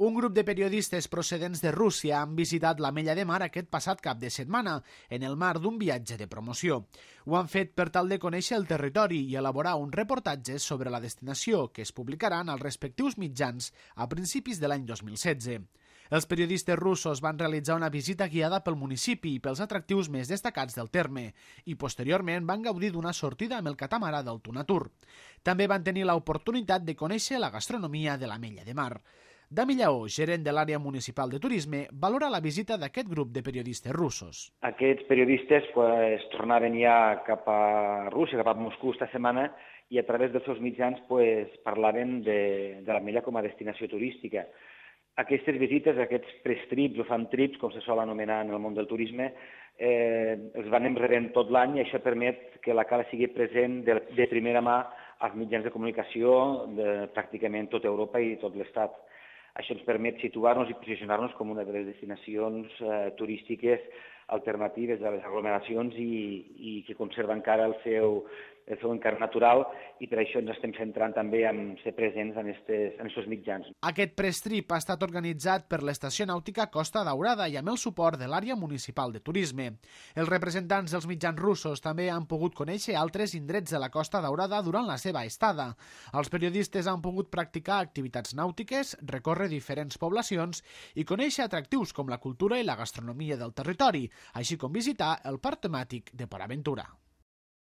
Un grup de periodistes procedents de Rússia han visitat l'Ametlla de Mar aquest passat cap de setmana, en el marc d'un viatge de promoció. Ho han fet per tal de conèixer el territori i elaborar un reportatge sobre la destinació que es publicaran als respectius mitjans a principis de l'any 2016. Els periodistes russos van realitzar una visita guiada pel municipi i pels atractius més destacats del terme i posteriorment van gaudir d'una sortida amb el catamarà del Tunatur. També van tenir l'oportunitat de conèixer la gastronomia de l'Ametlla de Mar. Dami Lleó, gerent de l'àrea municipal de turisme, valora la visita d'aquest grup de periodistes russos. Aquests periodistes tornaven ja cap a Rússia, cap a Moscou esta setmana, i a través dels seus mitjans parlaven de l'Ametlla com a destinació turística. Aquestes visites, aquests press trips o fan trips, com se sol anomenar en el món del turisme, els van rebent tot l'any i això permet que la cala sigui present de primera mà als mitjans de comunicació de pràcticament tota Europa i tot l'Estat. Això ens permet situar-nos i posicionar-nos com una de les destinacions turístiques alternatives a les aglomeracions i que conserva encara el seu encart natural, i per això ens estem centrant també en ser presents en aquests mitjans. Aquest press trip ha estat organitzat per l'Estació Nàutica Costa Daurada i amb el suport de l'àrea municipal de turisme. Els representants dels mitjans russos també han pogut conèixer altres indrets de la Costa Daurada durant la seva estada. Els periodistes han pogut practicar activitats nàutiques, recórrer diferents poblacions i conèixer atractius com la cultura i la gastronomia del territori, així com visitar el parc temàtic de Port Aventura.